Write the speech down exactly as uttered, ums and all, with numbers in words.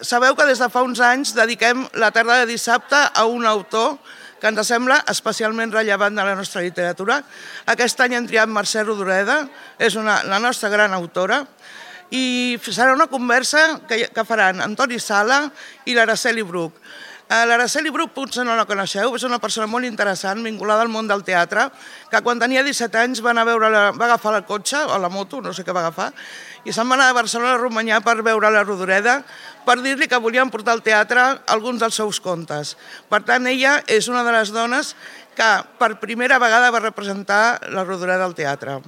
Sabeu que des de fa uns anys dediquem la tarda de dissabte a un autor que ens sembla especialment rellevant de la nostra literatura. Aquest any hem triat Mercè Rodoreda, és una, la nostra gran autora, i serà una conversa que, que faran Antoni Sala i l'Araceli Bruch. L'Araceli Bruch potser no la coneixeu, és una persona molt interessant, vinculada al món del teatre, que quan tenia disset anys va, anar a veure la, va agafar el cotxe o la moto, no sé què va agafar, i se'n va anar a Barcelona a Romanyà per veure la Rodoreda, per dir-li que volien portar al teatre alguns dels seus contes. Per tant, ella és una de les dones que per primera vegada va representar la Rodoreda al teatre.